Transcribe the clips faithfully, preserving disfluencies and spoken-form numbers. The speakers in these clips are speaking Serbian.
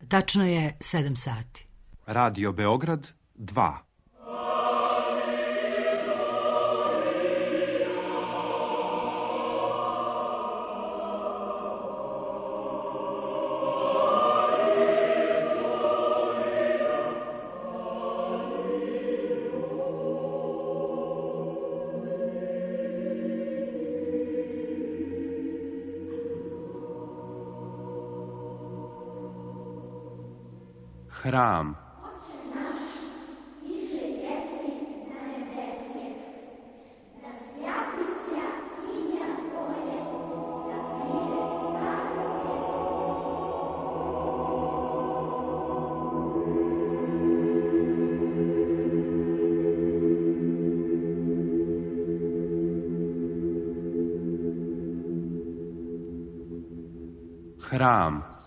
Tačno je sedam sati. Radio Beograd dva. Hram. Hram.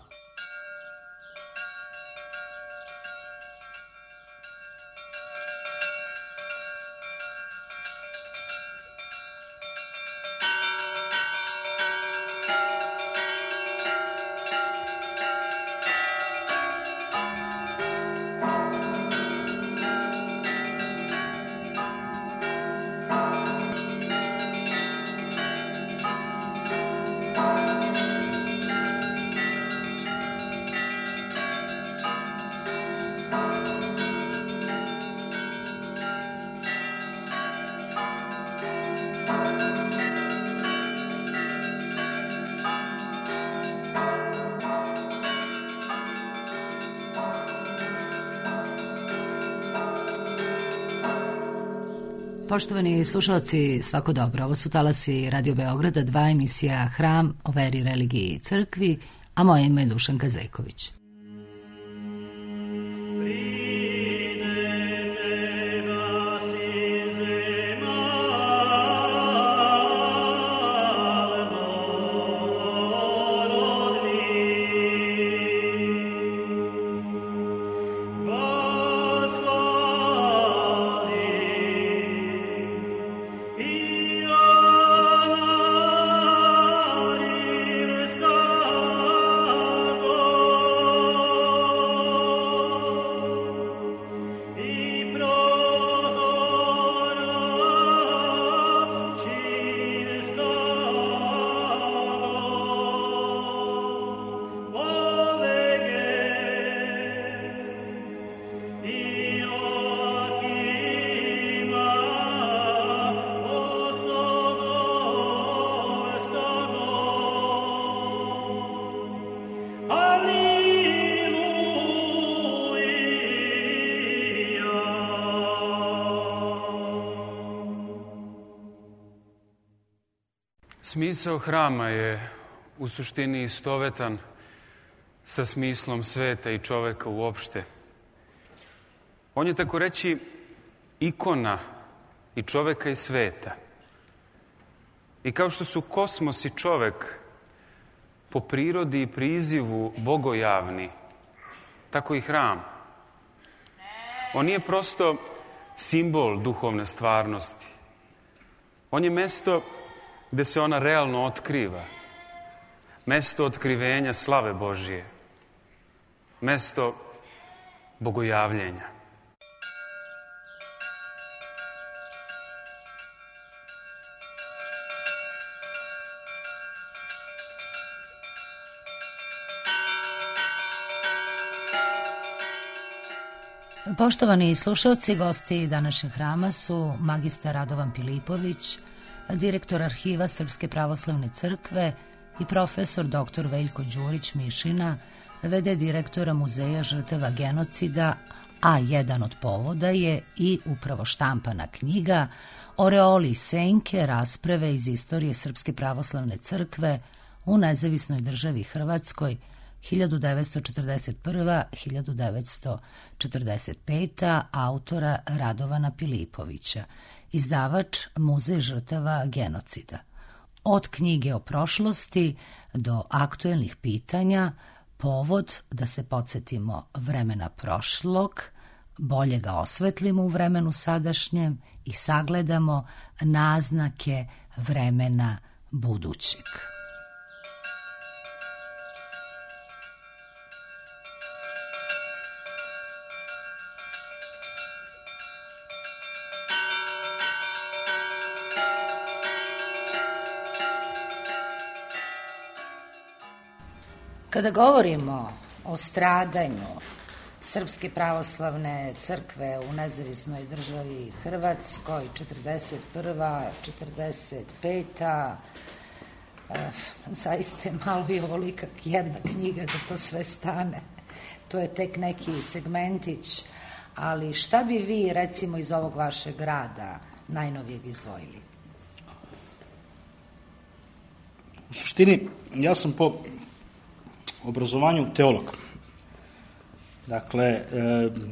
Poštovani slušalci, svako dobro. Ovo su talasi Radio Beograda, dva, emisija Hram o veri, religiji i crkvi, a moje ime je Dušanka Zejković. Smisao hrama je u suštini istovetan sa smislom sveta i čoveka uopšte. On je, tako reći, ikona i čoveka i sveta. I kao što su kosmos i čovek po prirodi i prizivu bogojavni, tako i hram. On nije prosto simbol duhovne stvarnosti. On je mesto gde se ona realno otkriva. Mesto otkrivenja slave Božije. Mesto bogojavljenja. Poštovani slušalci, gosti današnjeg hrama su magistar Radovan Pilipović, direktor arhiva Srpske pravoslavne crkve i profesor doktor Veljko Đurić Mišina, v d direktora Muzeja žrtava genocida, a jedan od povoda je i upravo štampana knjiga Oreoli i senke, rasprave iz istorije Srpske pravoslavne crkve u nezavisnoj državi Hrvatskoj hiljadu devetsto četrdeset prva do hiljadu devetsto četrdeset peta autora Radovana Pilipovića, izdavač Muzej žrtava genocida. Od knjige o prošlosti do aktuelnih pitanja, povod da se podsjetimo vremena prošlog, bolje ga osvetlimo u vremenu sadašnjem i sagledamo naznake vremena budućeg. Kada govorimo o stradanju Srpske pravoslavne crkve u nezavisnoj državi Hrvatskoj, četrdeset prva, četrdeset peta, zaista je malo i ovolika jedna knjiga da to sve stane. To je tek neki segmentić, ali šta bi vi, recimo, iz ovog vašeg rada najnovijeg izdvojili? U suštini, ja sam po obrazovanju teolog. Dakle, e,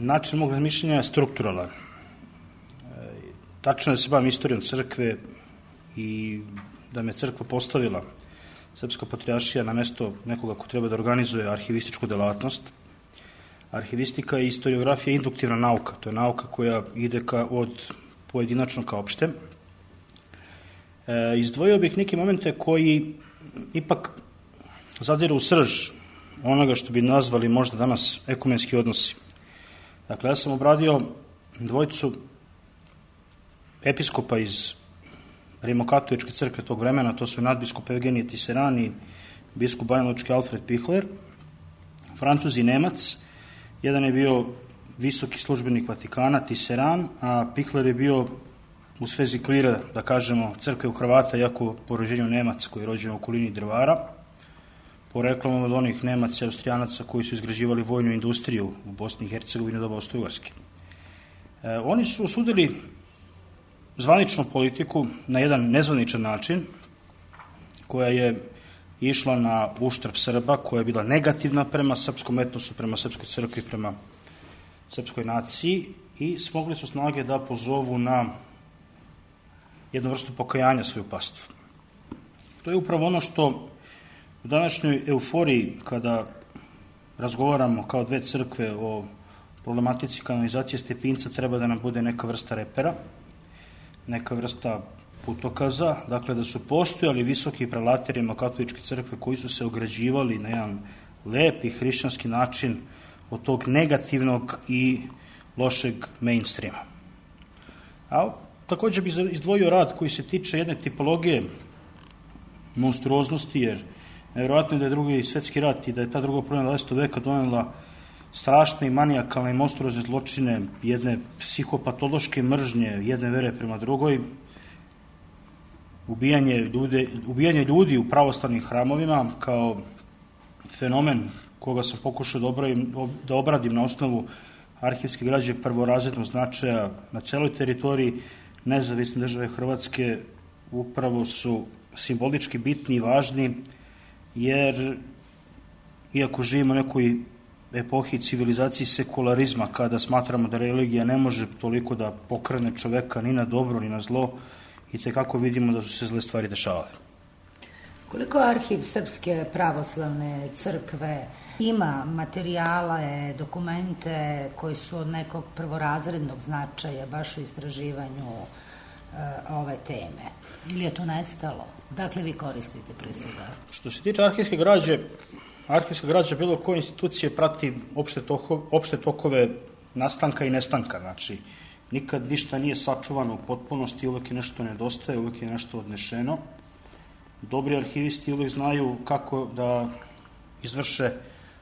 način mog razmišljanja je strukturalan. E, tačno je da se bavim istorijom crkve i da me crkva postavila, Srpska patrijaršija, na mesto nekoga ko treba da organizuje arhivističku delatnost. Arhivistika i istoriografija je induktivna nauka. To je nauka koja ide ka, od pojedinačno ka opšte. E, izdvojio bih neke momente koji ipak zadiru u srž onoga što bi nazvali možda danas ekumenski odnosi. Dakle, ja sam obradio dvojicu episkopa iz Rimokatoličke crkve tog vremena, to su nadbiskup Evgenije Tiseran i biskup banjalučki Alfred Pichler, Francuz i Nemac. Jedan je bio visoki službenik Vatikana, Tiseran, a Pichler je bio u svezi klira, da kažemo, crkve u Hrvata, jako po rođenju Nemac koji je rođen u okolini Drvara, poreklom od onih Nemaca i Austrijanaca koji su izgrađivali vojnu industriju u Bosni i Hercegovini u doba Austro-Ugarske. E, oni su osudili zvaničnu politiku na jedan nezvaničan način, koja je išla na uštrb Srba, koja je bila negativna prema srpskom etnosu, prema srpskoj crkvi, prema srpskoj naciji, i smogli su snage da pozovu na jednu vrstu pokajanja svoju pastvu. To je upravo ono što u današnjoj euforiji, kada razgovaramo kao dve crkve o problematici kanonizacije Stepinca, treba da nam bude neka vrsta repera, neka vrsta putokaza, dakle da su postojali visoki prelati Rimokatoličke crkve koji su se ograđivali na jedan lep i hrišćanski način od tog negativnog i lošeg mainstreama. A također bih izdvojio rad koji se tiče jedne tipologije monstruoznosti, jer nevjerojatno je da je drugi svetski rat i da je ta druga polovina dvadesetog veka donela strašne i manijakalne i monstruozne zločine, jedne psihopatološke mržnje jedne vere prema drugoj, ubijanje, ljude, ubijanje ljudi u pravoslavnim hramovima kao fenomen koga sam pokušao da obradim, da obradim na osnovu arhivske građe prvorazrednog značaja na celoj teritoriji nezavisne države Hrvatske, upravo su simbolički bitni i važni, jer iako živimo u nekoj epohi civilizaciji sekularizma, kada smatramo da religija ne može toliko da pokrene čoveka ni na dobro ni na zlo, i tekako vidimo da su se zle stvari dešavale. Koliko arhiv Srpske pravoslavne crkve ima materijale, dokumente koji su od nekog prvorazrednog značaja baš u istraživanju e, ove teme? Ili je to nestalo? Dakle, vi koristite pre svega? Što se tiče arhivske građe, arhivska građa bilo koje institucije prati opšte tokove, opšte tokove nastanka i nestanka. Znači, nikad ništa nije sačuvano u potpunosti, uvek je nešto nedostaje, uvek je nešto odnešeno. Dobri arhivisti uvek znaju kako da izvrše,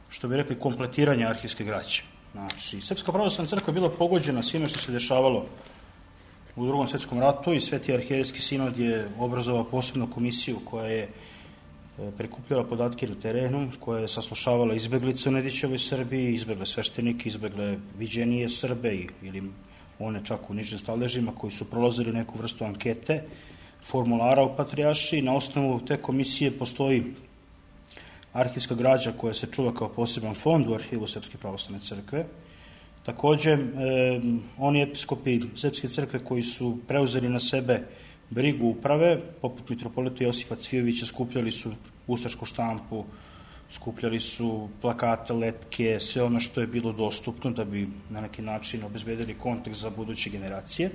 što bi rekli, kompletiranje arhivske građe. Znači, Srpska pravoslavna crkva je bila pogođena svime što se dešavalo u Drugom svetskom ratu i Sveti arhijerejski sinod je obrazovao posebnu komisiju koja je prikupljala podatke na terenu, koja je saslušavala izbeglice u Nedićevoj Srbiji, izbegle sveštenike, izbegle viđenije Srbe ili one čak u nižim staležima koji su prolazili neku vrstu ankete, formulara u Patrijaršiji. Na osnovu te komisije postoji arhivska građa koja se čuva kao poseban fond u arhivu Srpske pravoslavne crkve. Takođe, e, oni episkopi Srpske crkve koji su preuzeli na sebe brigu uprave, poput mitropolita Josifa Cvijovića, skupljali su ustašku štampu, skupljali su plakate, letke, sve ono što je bilo dostupno da bi na neki način obezbedili kontekst za buduće generacije.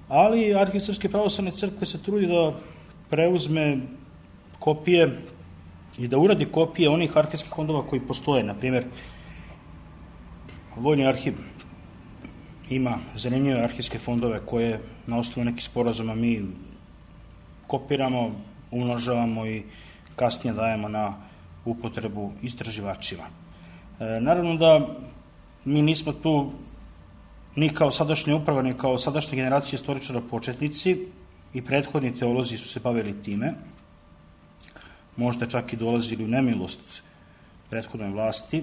Ali Arhiv Srpske pravoslavne crkve se trudi da preuzme kopije i da uradi kopije onih arhivskih fondova koji postoje. Na primjer, Vojni arhiv ima zanimljive arhivske fondove koje na osnovu nekih sporazuma mi kopiramo, umnožavamo i kasnije dajemo na upotrebu istraživačima. E, naravno da mi nismo tu ni kao sadašnja uprava, ni kao sadašnja generacija istoričara početnici, i prethodni teolozi su se bavili time, možda čak i dolazili u nemilost prethodnoj vlasti,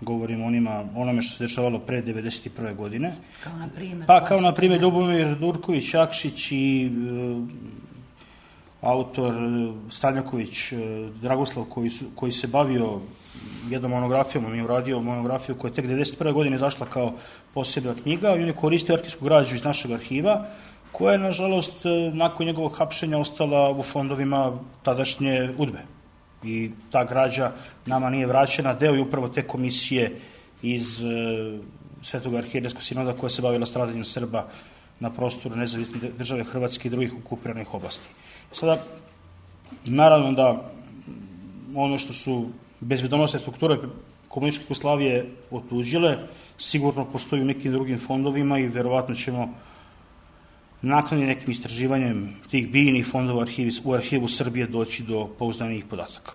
govorimo onima, onome što se dešavalo pre devedeset prve godine. Kao na primjer? Pa kao na primjer Ljubomir Durković Jakšić i e, autor Stanjaković Dragoslav koji, su, koji se bavio jednom monografijom, on je uradio monografiju koja je tek devedeset prve godine izašla kao posebna knjiga i on je koristio arhivsku građu iz našeg arhiva, koja je, nažalost, nakon njegovog hapšenja ostala u fondovima tadašnje UDBE. I ta građa nama nije vraćena, deo je upravo te komisije iz e, Svetog arhijerejskog sinoda koja se bavila stradanjem Srba na prostoru nezavisne države Hrvatske i drugih okupiranih oblasti. Sada, naravno da ono što su bezbedonosne strukture komunističke Jugoslavije otuđile, sigurno postoji u nekim drugim fondovima i verovatno ćemo nakon nekim istraživanjem tih biljnih fondova u arhivu Srbije doći do pouzdanijih podataka.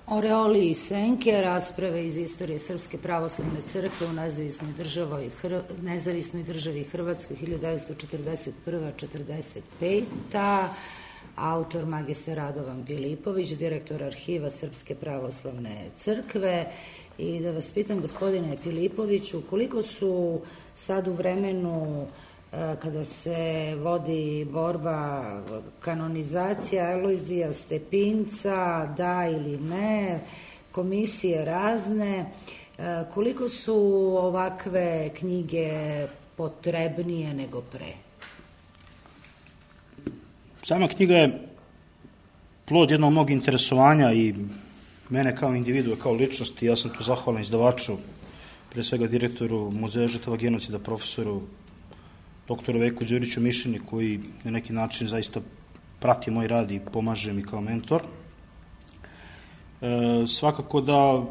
Oreoli i senke, rasprave iz istorije Srpske pravoslavne crkve u nezavisnoj državi, Hr... nezavisnoj državi Hrvatskoj hiljadu devetsto četrdeset prva do četrdeset peta. Autor magistar Radovan Pilipović, direktor arhiva Srpske pravoslavne crkve. I da vas pitam, gospodine Pilipoviću, koliko su sad u vremenu kada se vodi borba kanonizacija Alojzija Stepinca, da ili ne, komisije razne, koliko su ovakve knjige potrebnije nego pre? Sama knjiga je plod jednog mog interesovanja i mene kao individua, kao ličnosti. Ja sam tu zahvalan izdavaču, pre svega direktoru Muzeja žrtava genocida, profesoru doktoru Veljku Đuriću Mišini, koji na neki način zaista prati moj rad i pomaže mi kao mentor. E, svakako da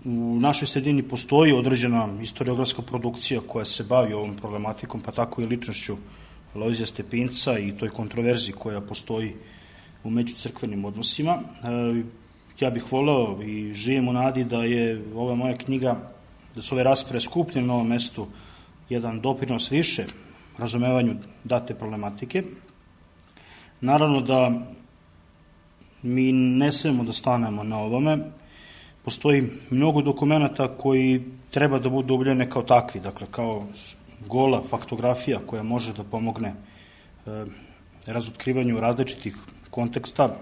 u našoj sredini postoji određena historiografska produkcija koja se bavi ovom problematikom, pa tako i ličnošću Alojzija Stepinca i toj kontroverziji koja postoji u međucrkvenim odnosima. E, ja bih voleo i živim u nadi da je ova moja knjiga, da su ove rasprave skupljene na ovom mestu jedan doprinos više razumevanju date problematike. Naravno da mi ne smemo da stanemo na ovome. Postoji mnogo dokumenta koji treba da budu objavljene kao takvi, dakle kao gola faktografija koja može da pomogne e, razotkrivanju različitih konteksta,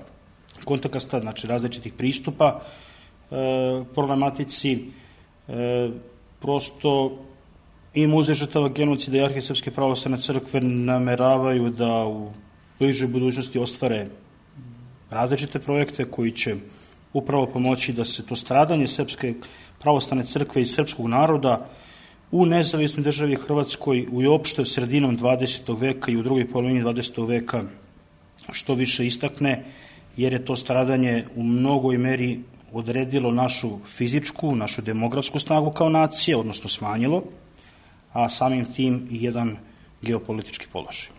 konteksta, znači različitih pristupa e, problematici. E, prosto i Muzej žrtava genocida i Arhiv Srpske pravoslavne crkve nameravaju da u bližoj budućnosti ostvare različite projekte koji će upravo pomoći da se to stradanje Srpske pravoslavne crkve i srpskog naroda u nezavisnoj državi Hrvatskoj u opšte sredinom dvadesetog veka i u drugoj polovini dvadesetog veka što više istakne, jer je to stradanje u mnogoj meri odredilo našu fizičku, našu demografsku snagu kao nacije, odnosno smanjilo, a samim tim i jedan geopolitički položaj.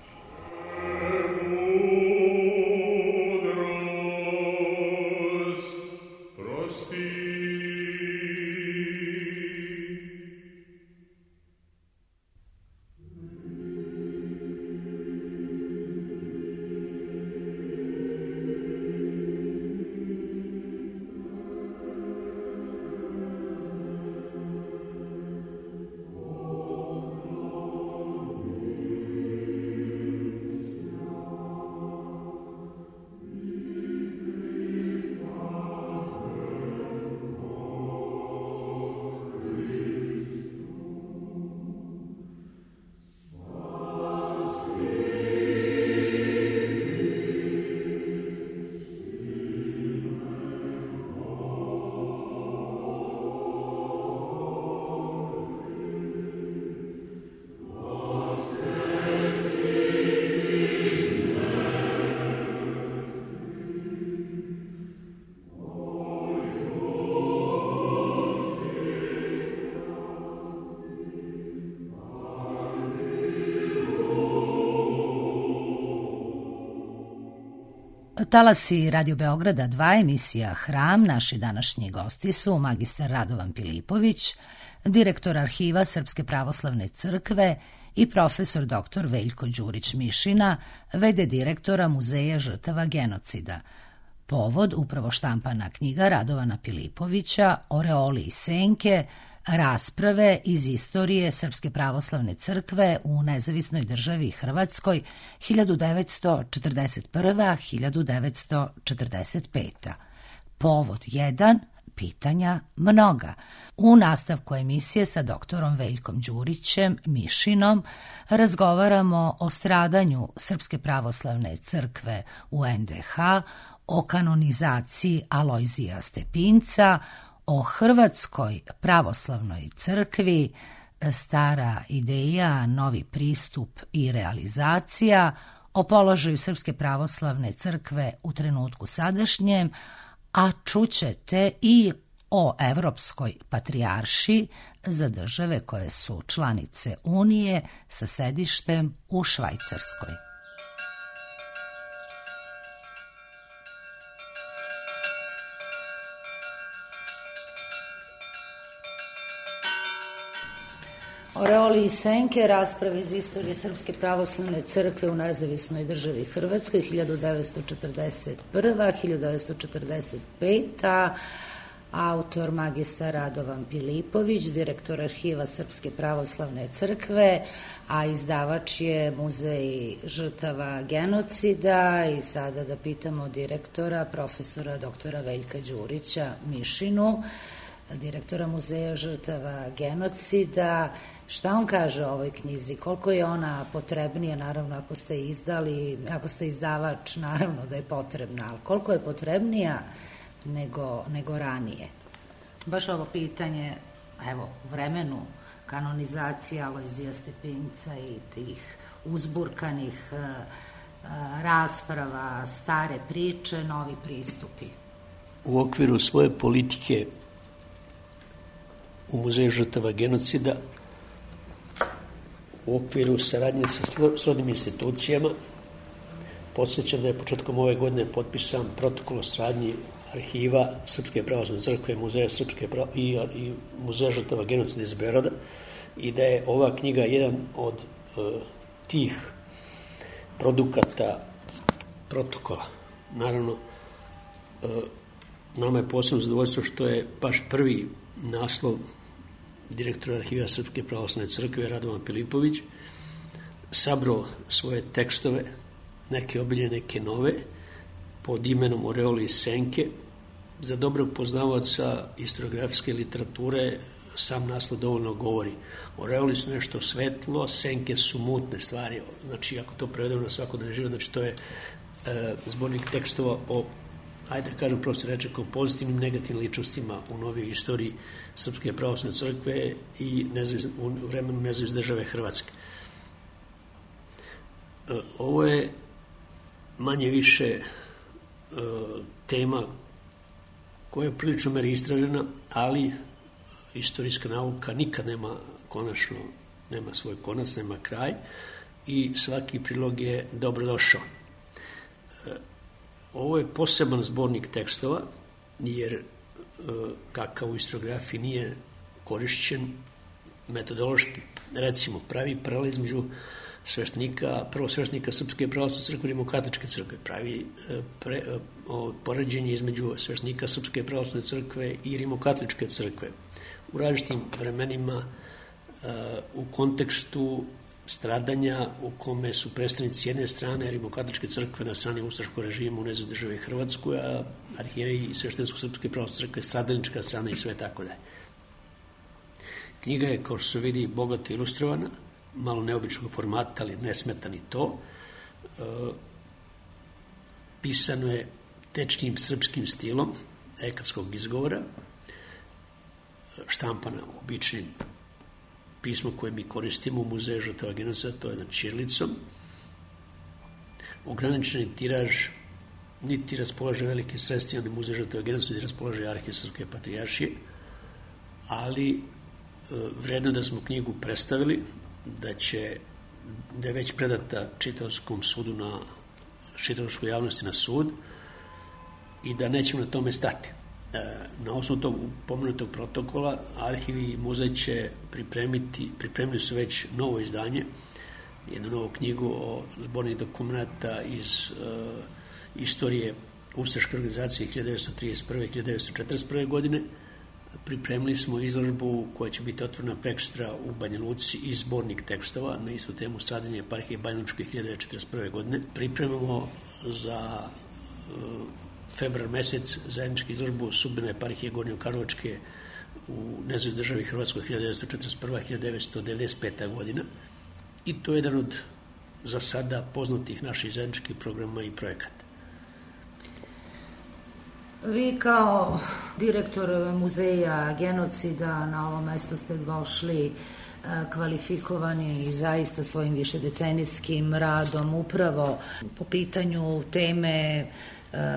Talasi Radio Beograda dva, emisija Hram. Naši današnji gosti su magistar Radovan Pilipović, direktor Arhiva Srpske pravoslavne crkve i profesor doktor Veljko Đurić Mišina, v d direktora Muzeja žrtava genocida. Povod upravo štampana knjiga Radovana Pilipovića Oreoli i senke, rasprave iz istorije Srpske pravoslavne crkve u nezavisnoj državi Hrvatskoj hiljadu devetsto četrdeset prva do hiljadu devetsto četrdeset peta. Povod jedan, pitanja mnoga. U nastavku emisije sa doktorom Veljkom Đurićem Mišinom razgovaramo o stradanju Srpske pravoslavne crkve u en de ha, o kanonizaciji Alojzija Stepinca, o Hrvatskoj pravoslavnoj crkvi, stara ideja, novi pristup i realizacija, o položaju Srpske pravoslavne crkve u trenutku sadašnjem, a čućete i o Evropskoj patrijaršiji za države koje su članice Unije sa sedištem u Švajcarskoj. Oreoli i senke, rasprave iz istorije Srpske pravoslavne crkve u nezavisnoj državi Hrvatskoj hiljadu devetsto četrdeset prva do hiljadu devetsto četrdeset peta. Autor magistar Radovan Pilipović, direktor Arhiva Srpske pravoslavne crkve, a izdavač je Muzej žrtava genocida. I sada da pitamo direktora, profesora doktora Veljka Đurića Mišinu, direktora Muzeja žrtava genocida, šta on kaže o ovoj knjizi, koliko je ona potrebnija, naravno ako ste izdali, ako ste izdavač, naravno da je potrebna, ali koliko je potrebnija nego, nego ranije. Baš ovo pitanje, evo, u vremenu kanonizacije Alojzija Stepinca i tih uzburkanih uh, uh, rasprava, stare priče, novi pristupi. U okviru svoje politike u Muzeju žrtava genocida, u okviru saradnje sa srodnim institucijama, podsjećam da je početkom ove godine potpisan protokol o saradnji Arhiva Srpske pravoslavne crkve, Muzeja Srpske prav... i, i Muzeja žrtava genocida iz Beograda, i da je ova knjiga jedan od uh, tih produkata protokola. Naravno, uh, nama je posebno zadovoljstvo što je baš prvi naslov direktora Arhiva Srpske pravoslavne crkve Radovan Pilipović sabrao svoje tekstove, neke obilje, neke nove, pod imenom Oreoli i senke. Za dobrog poznavaoca historiografske literature sam naslov dovoljno govori. Oreoli su nešto svetlo, senke su mutne stvari. Znači, ako to prevedemo na svakodnevni život, znači to je e, zbornik tekstova o, ajde da kažem prosto reče, kao pozitivnim, negativnim ličnostima u novijoj istoriji Srpske pravoslavne crkve i nezavis, u vremenu nezavisne države Hrvatske. E, ovo je manje više e, tema koja je prilično meri istražena, ali istorijska nauka nikad nema konačno, nema svoj konac, nema kraj i svaki prilog je dobrodošao. E, ovo je poseban zbornik tekstova, jer e, kakav u historiografiji nije korišćen metodološki. Recimo, pravi paralel između sveštenika, prvo sveštenika Srpske pravoslavne crkve i Rimokatoličke crkve, pravi pre, o, poređenje između sveštenika Srpske pravoslavne crkve i Rimokatoličke crkve u različitim vremenima, e, u kontekstu stradanja u kome su predstavnici jedne strane Rimokatoličke crkve na strani ustaškog režima u nezavisnoj državi Hrvatskoj, a arhijeri i sveštenstvo Srpske pravoslavne crkve stradalnička strana i sve tako dalje. Knjiga je, kao što se vidi, bogato ilustrovana, malo neobičnog formata, ali ne smeta ni to. E, pisano je tečnim srpskim stilom ekavskog izgovora, štampana običnim pismo koje mi koristimo u Muzeju žrtava genocida, to je nad ćirilicom. Ograničeni tiraž niti raspolaže velikim sredstvima ni Muzej žrtava genocida, niti raspolaže Arhiv Srpske patrijaršije, ali e, vredno da smo knjigu predstavili, da će, da je već predata čitaočkom sudu na čitaočkoj javnosti na sud, i da nećemo na tome stati. Na osnovu tog pomenutog protokola arhiv i muzej će pripremiti, pripremili su već novo izdanje, jednu novu knjigu o zbornih dokumenta iz uh, istorije ustaške organizacije hiljadu devetsto trideset prve do hiljadu devetsto četrdeset prve. godine. Pripremili smo izložbu koja će biti otvorena prekstra u Banja Luci i zbornik tekstova na istu temu stradanje eparhije Banja Lučke hiljadu devetsto četrdeset prve. godine. Pripremamo za uh, februar mesec zajedničku izložbu sudbine eparhije Gornjokarlovačke u nezavisnoj državi Hrvatskoj hiljadu devetsto četrdeset prva do hiljadu devetsto devedeset peta. godina. I to je jedan od za sada poznatih naših zajedničkih programa i projekata. Vi kao direktor muzeja genocida na ovo mesto ste došli kvalifikovani i zaista svojim višedecenijskim radom upravo po pitanju teme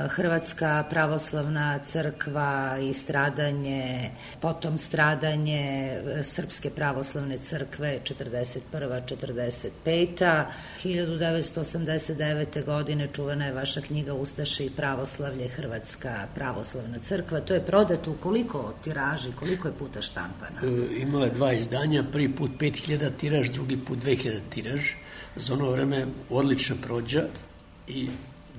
Hrvatska pravoslavna crkva i stradanje, potom stradanje Srpske pravoslavne crkve četrdeset prva do četrdeset peta. hiljadu devetsto osamdeset devete. godine čuvena je vaša knjiga Ustaše i pravoslavlje, Hrvatska pravoslavna crkva. To je prodato u koliko tiraži, koliko je puta štampana? E, imala je dva izdanja, prvi put pet hiljada tiraž, drugi put dve hiljade tiraž. Za ono vreme odlična prođa i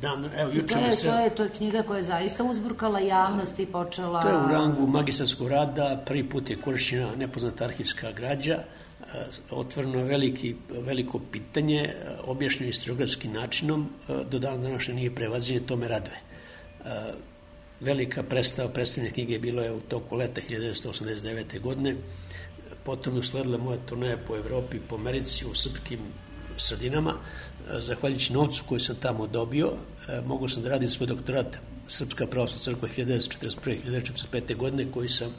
Dan, evo, to, je, sred... to, je, to je knjiga koja je zaista uzburkala javnost i počela... To je u rangu magistarskog rada, prvi put je korišćena nepoznata arhivska građa, otvoreno je veliki, veliko pitanje, objašnjeno historiografskim načinom, do dana današnje nije prevaziđenje, to me raduje. Velika predstava, predstavljene knjige bilo je u toku leta hiljadu devetsto osamdeset devete. godine, potom je usledila moja turneja po Evropi, po Americi, u srpskim sredinama. Zahvaljujući novcu koji sam tamo dobio, mogu sam da radim svoj doktorat Srpska pravoslavna crkva hiljadu devetsto četrdeset prve do hiljadu devetsto četrdeset pete. godine, koji sam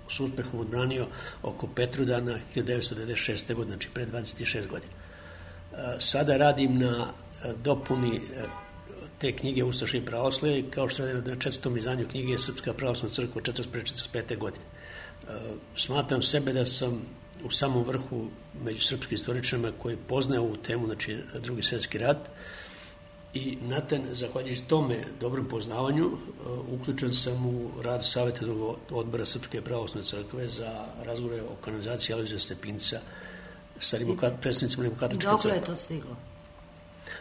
s uspehom odbranio oko Petrudana hiljadu devetsto devedeset šeste. godine, znači pre dvadeset šest godina. Sada radim na dopuni te knjige Ustaše i pravoslavlje, kao što radim na četvrtom izdanju knjige Srpska pravoslavna crkva četrdeset prve do četrdeset pete. godine. Smatram sebe da sam u samom vrhu među srpskim istoričarima koji poznaju ovu temu, znači Drugi svjetski rat, i na ten, zahvaljujući tome dobrom poznavanju, uključen sam u rad savjetodavnog odbora Srpske pravoslavne crkve za razgovore o kanonizaciji Alojzija Stepinca sa predstavnicima Rimokatoličke crkve. Dokle je to stiglo?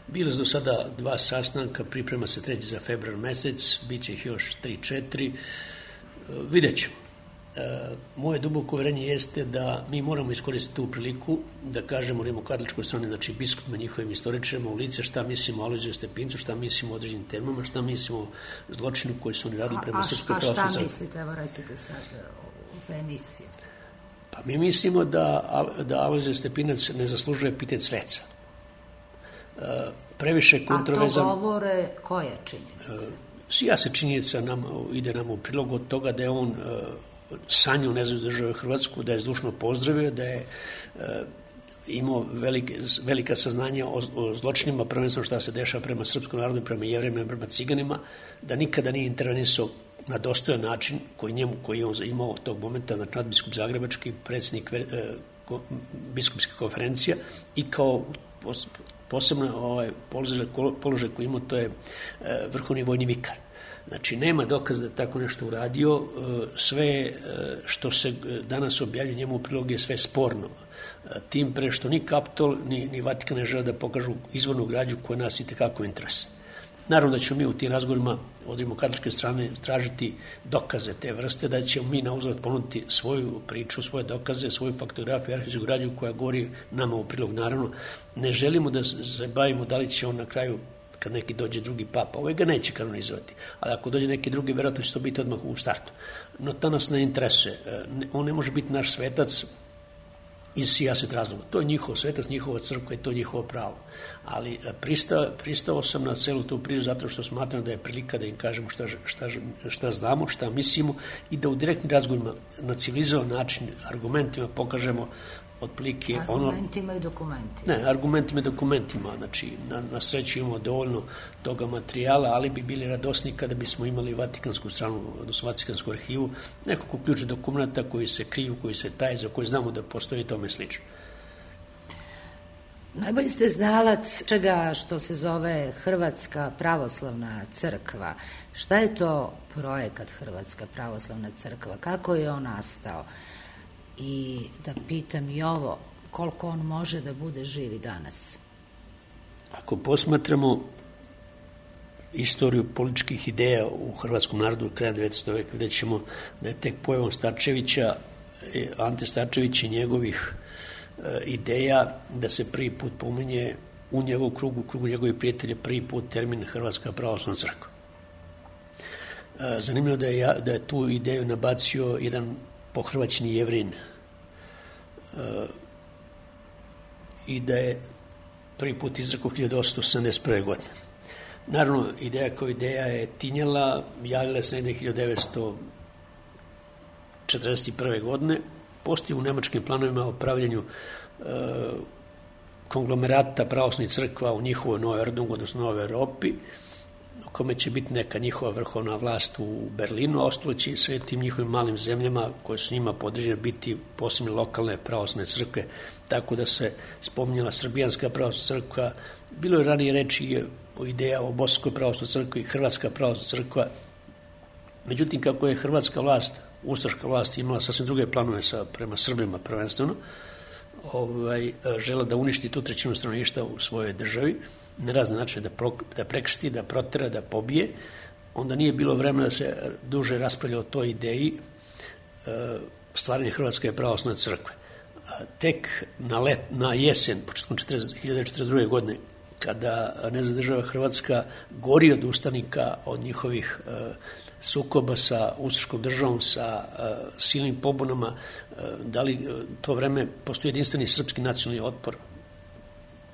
Bilo je do sada dva sastanka, priprema se treći za februar mesec, bit će ih još tri, četiri, vidjet ćemo. Moje duboko uverenje jeste da mi moramo iskoristiti tu priliku da kažemo rimokatoličkoj strani, znači biskupima, njihovim istoričarima u lice šta mislimo o Alojziju Stepincu, šta mislimo o određenim temama, šta mislimo o zločinu koji su oni radili prema Srpskoj pravoslavnoj crkvi. A šta mislite, evo recite sad za emisiju? Pa mi mislimo da, da Alojzije Stepinac ne zaslužuje epitet sveca. Previše kontroverzan... A to govore koje činjenice? Ja se činjenica nam, ide nam u prilog od toga da je on sanju nezavisnu državu Hrvatsku, da je zdušno pozdravio, da je e, imao velike, velika saznanja o, o zločinima, prvenstveno šta se dešava prema srpskom narodu, prema jevrejima, prema ciganima, da nikada nije intervenisao na dostojan način koji njemu, koji je on imao tog momenta, znači nadbiskup Zagrebački, predsjednik e, ko, biskupske konferencija i kao pos, posebno ovaj, položaj, položaj koji imao, to je e, vrhovni vojni vikar. Znači, nema dokaza da je tako nešto uradio, sve što se danas objavlja njemu u prilog je sve sporno. Tim pre što ni Kapitol, ni, ni Vatikan ne žele da pokažu izvornu građu koja nas i tekako interese. Naravno da ćemo mi u tim razgovorima od rimokatoličke strane tražiti dokaze te vrste, da ćemo mi na uzvrat ponuditi svoju priču, svoje dokaze, svoju faktografiju, arhivsku građu koja govori nama u prilog. Naravno, ne želimo da se bavimo da li će on na kraju, kad neki dođe drugi papa, ovaj ga neće kanonizovati, ali ako dođe neki drugi, verovatno će to biti odmah u startu. No to nas ne interesuje. On ne može biti naš svetac iz sijaset razloga. To je njihov svetac, njihova crkva i to je njihovo pravo. Ali pristao, pristao sam na celu tu priču zato što smatram da je prilika da im kažemo šta, šta, šta znamo, šta mislimo i da u direktnim razgovorima na civilizovan način, argumentima pokažemo otprilike ono... Argumentima i dokumentima. Ne, argumentima i dokumentima. Znači, na, na sreću imamo dovoljno toga materijala, ali bi bili radosni kada bismo imali Vatikansku stranu, odnosno Vatikansku arhivu, nekako ključe dokumenta koji se kriju, koji se taje, za koje znamo da postoji tome slično. Najbolji ste znalac čega što se zove Hrvatska pravoslavna crkva. Šta je to projekat Hrvatska pravoslavna crkva? Kako je on nastao? I da pitam i ovo, koliko on može da bude živ i danas? Ako posmatramo istoriju političkih ideja u hrvatskom narodu kraja devetnaestog veka, vidjet ćemo da je tek pojavom Starčevića, Ante Starčevića i njegovih ideja da se prvi put pominje u njegovu krugu, u krugu njegovih prijatelja, prvi put termin Hrvatska pravoslavna crkva. Zanimljivo da je, da je tu ideju nabacio jedan pohrvaćeni Jevrin i da je prvi put izrekao hiljadu osamsto sedamdeset prve. godine. Naravno, ideja kao ideja je tinjala, javila se negde hiljadu devetsto četrdeset prve. godine. Postoji u nemačkim planovima o pravljenju e, konglomerata pravoslavnih crkva u njihovoj Novoj Ordnung, odnosno Novoj Evropi, u kome će biti neka njihova vrhovna vlast u Berlinu, a ostalo će i sve tim njihovim malim zemljama koje su njima podređene biti posebne lokalne pravoslavne crkve, tako da se spominjala Srbijanska pravoslavna crkva. Bilo je ranije reči o ideja o Bosanskoj pravoslavnoj crkvi i Hrvatska pravoslavna crkva. Međutim, kako je hrvatska vlast, ustaška vlast imala sasvim druge planove sa, prema Srbima prvenstveno, ovaj, žela da uništi tu trećinu stanovništva u svojoj državi, na razne načine da, pro, da prekrsti, da protera, da pobije, onda nije bilo vremena da se duže raspravlja o toj ideji e, stvaranje Hrvatske pravoslavne crkve. A tek na, let, na jesen, početkom hiljadu devetsto četrdeset druge. godine, kada nezavisna država Hrvatska gori od ustanika, od njihovih e, sukoba sa ustaškom državom, sa uh, silnim pobunama, uh, da li uh, to vreme postoji jedinstveni srpski nacionalni otpor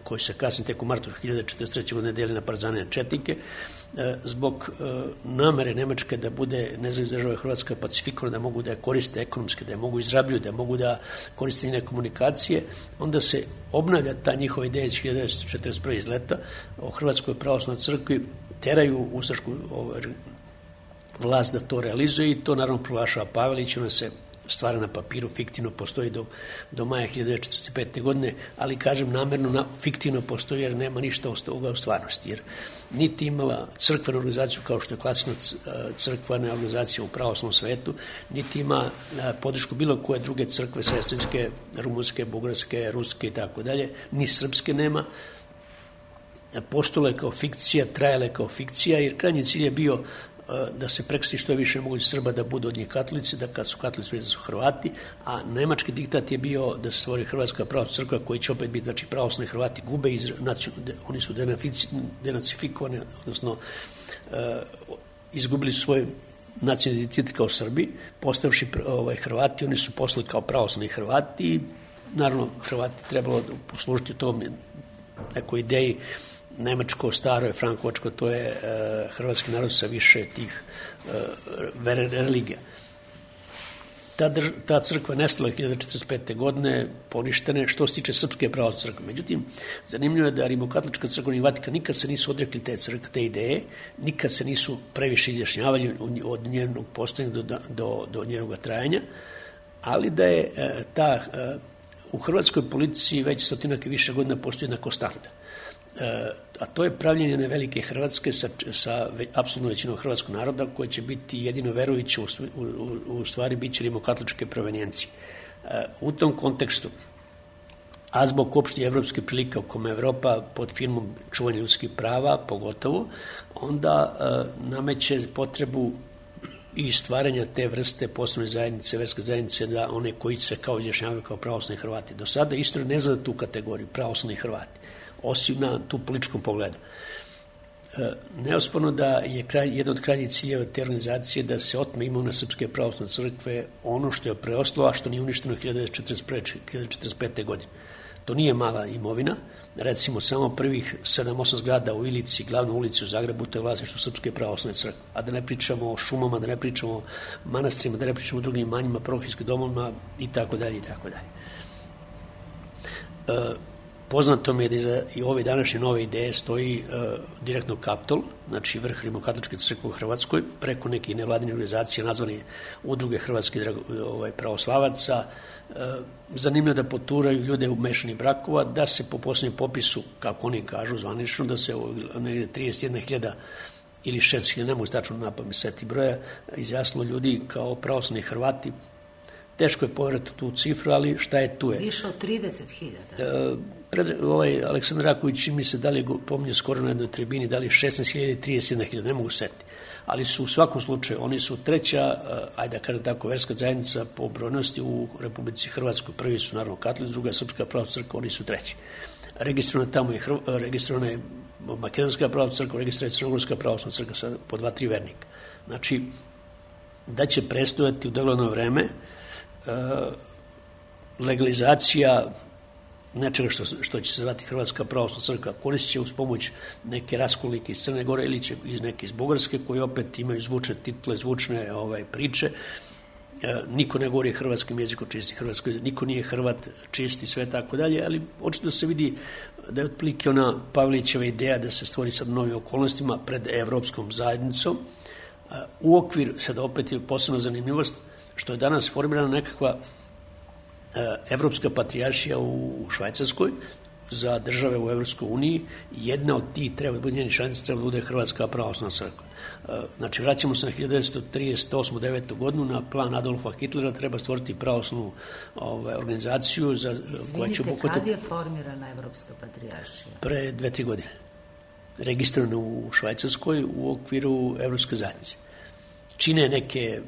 koji se kasnije tek u martu hiljadu četrdeset treće. godine deli na partizane i četnike, uh, zbog uh, namere Nemačke da bude nezavisna država Hrvatska pacifikovana, da mogu da je koriste ekonomski, da je mogu izrabljuju, da mogu da koriste njene komunikacije, onda se obnavlja ta njihova ideja iz hiljadu devetsto četrdeset prve. iz leta o Hrvatskoj pravoslavnoj crkvi, teraju ustašku ovaj, vlast da to realizuje i to naravno proglašava Pavelić, ona se stvara na papiru, fiktivno postoji do, do maja hiljadu devetsto četrdeset pete. godine, ali kažem namerno na, fiktivno postoji jer nema ništa u stvarnosti, jer niti imala crkvenu organizaciju kao što je klasična crkvena organizacija u pravoslavnom svetu, niti ima podršku bilo koje druge crkve, sestrinske, rumunske, bugarske, ruske i tako dalje, ni srpske nema. Postole kao fikcija, trajale kao fikcija, jer krajnji cilj je bio da se prekrsti što je više moguće Srba da budu od njih katolici, da kad su katolici da su Hrvati, a nemački diktat je bio da se stvori Hrvatska pravoslavna crkva koji će opet biti, znači pravoslavni Hrvati gube, iz, oni su denacifikovani, odnosno uh, izgubili su svoj nacionalni identitet kao Srbi, postavši ovaj, Hrvati, oni su poslali kao pravoslavni Hrvati i naravno Hrvati trebalo poslužiti u tom nekoj ideji nemačko, staro je, frankovačko, to je e, hrvatski narod sa više tih e, religija. Ta, drž, ta crkva nestala hiljadu četrdeset pete. godine, poništene, što se tiče Srpske pravoslavne crkve. Međutim, zanimljivo je da Rimokatolička crkva i Vatikan nikad se nisu odrekli te crkve, te ideje, nikad se nisu previše izjašnjavali od njenog postojanja do, do, do njenog trajanja, ali da je e, ta, e, u hrvatskoj politici već stotinak i više godina postoji jedna konstanta. A to je pravljenje jedne velike Hrvatske sa, sa apsolutno većinom hrvatskog naroda koji će biti jedino verujući u, u, u stvari bit će rimokatoličke provenijencije. U tom kontekstu, a zbog opšte evropske prilike u kome Evropa pod firmom čuvanja ljudskih prava pogotovo, onda nameće potrebu i stvaranja te vrste posebne zajednice, verske zajednice, da one koji se kao izjašnjavaju kao pravoslavni Hrvati. Do sada istorija ne zna tu kategoriju, pravoslavni Hrvati, osim na tu političkom pogledu. E, neosporno da je kraj, jedan od krajnjih ciljeva te organizacije da se otme imovina Srpske pravoslavne crkve, ono što je preostalo, a što nije uništeno hiljadu devetsto četrdeset pete. godine. To nije mala imovina, recimo samo prvih sedam osam zgrada u Ilici, glavnoj ulici u Zagrebu, to je vlasništvo Srpske pravoslavne crkve, a da ne pričamo o šumama, da ne pričamo o manastirima, da ne pričamo o drugim imanjima, parohijskim domovima i tako dalje i tako dalje. E, Poznato mi je da iza i ove današnje nove ideje stoji uh, direktno Kaptol, znači vrh Rimokatoličke crkve u Hrvatskoj, preko nekih nevladinih organizacija nazvani Udruge hrvatskih ovaj, pravoslavaca. Uh, zanimljivo da poturaju ljude u mešanih brakova, da se po posljednjem popisu, kako oni kažu zvanično, da se negde trideset jedna hiljada ili šest hiljada, ne mogu stačno napamet seti broja, izjasnilo ljudi kao pravoslavni Hrvati. Teško je poverati tu cifru, ali šta je tu je. Više od trideset hiljada. Uh, Pred, ovaj, Aleksandar Raković mi se da li pominje skoro na jednoj tribini, da li šesnaest hiljada ili trideset jedna hiljada, ne mogu setiti. Ali su u svakom slučaju, oni su treća, ajde da kažem tako, verska zajednica po brojnosti u Republici Hrvatskoj. Prvi su naravno katolici, druga Srpska pravoslavna crkva, oni su treći. Registrovana tamo je, registrovana je Makedonska pravoslavna crkva, registrovana je Crnogorska pravoslavna crkva sa po dva, tri vernika. Znači, da će prestojati u dogledno vreme legalizacija nečega što, što će se zvati Hrvatska pravoslavna crkva, koristit će uz pomoć neke raskolnike iz Crne Gore ili će iz neke iz Bugarske, koji opet imaju zvučne titule, zvučne ovaj, priče. E, niko ne govori hrvatskim jezikom čisti hrvatsko, niko nije Hrvat čisti, sve tako dalje, ali očito se vidi da je otprilike ona Pavelićeva ideja da se stvori sad novim okolnostima pred evropskom zajednicom. E, u okvir, sad opet je posebna zanimljivost, što je danas formirana nekakva Evropska patrijaršija u Švajcarskoj za države u Evropskoj uniji. Jedna od tih treba da bude njeni članica, treba da bude Hrvatska pravoslavna crkva. Znači, vraćamo se na hiljadu devetsto trideset osmu devetu godinu, na plan Adolfa Hitlera, treba stvoriti pravoslavnu ovaj, organizaciju za, koja će obuhvatiti... Kad je formirana Evropska patrijaršija? Pre dve, tri godine. Registrovana u Švajcarskoj u okviru Evropske zajednice. Čine neke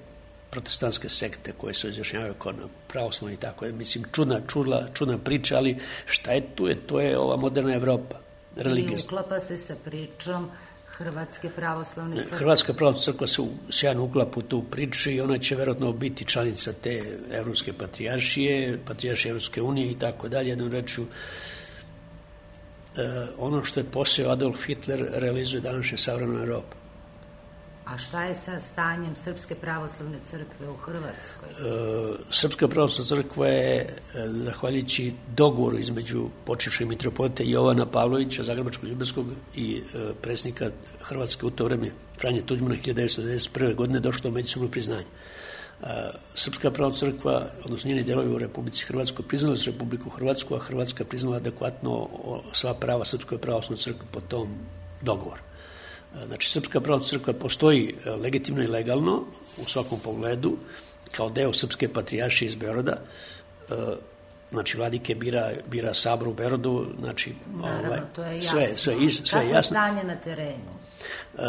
protestantske sekte koje se izjašnjavaju kao pravoslavni i tako. Mislim, čudna, čudla, čudna priča, ali šta je tu? Je, to je ova moderna Evropa. I uklapa se sa pričom Hrvatske pravoslavne crkve. Hrvatska pravoslavna crkva se sjajno uklapa u tu priču i ona će verovatno biti članica te Evropske patrijaršije, patrijaršije Evropske unije i tako dalje. Jednom rečju, eh, ono što je posao Adolf Hitler realizuje današnja savremena Evropa. A šta je sa stanjem Srpske pravoslavne crkve u Hrvatskoj? E, Srpska pravoslavna crkva je, zahvaljujući dogovoru između počivšeg mitropolita Jovana Pavlovića, Zagrebačkog Ljubelskog i e, predsjednika Hrvatske u to vreme, Franje Tuđmana, hiljadu devetsto devedeset prve. godine došlo do međusobnog priznanja. E, Srpska pravoslavna crkva, odnosno njeni delovi u Republici Hrvatskoj, priznali su Republiku Hrvatsku, a Hrvatska priznala adekvatno sva prava Srpskoj pravoslavnoj crkve po tom dogovoru. Znači, Srpska pravoslavna crkva postoji legitimno i legalno u svakom pogledu, kao deo Srpske patrijaršije iz Beograda. Znači, vladike bira, bira sabor u Beogradu, znači, naravno, ovaj, to je jasno. Sve, sve, iz, sve Kako je jasno. stanje na terenu? E,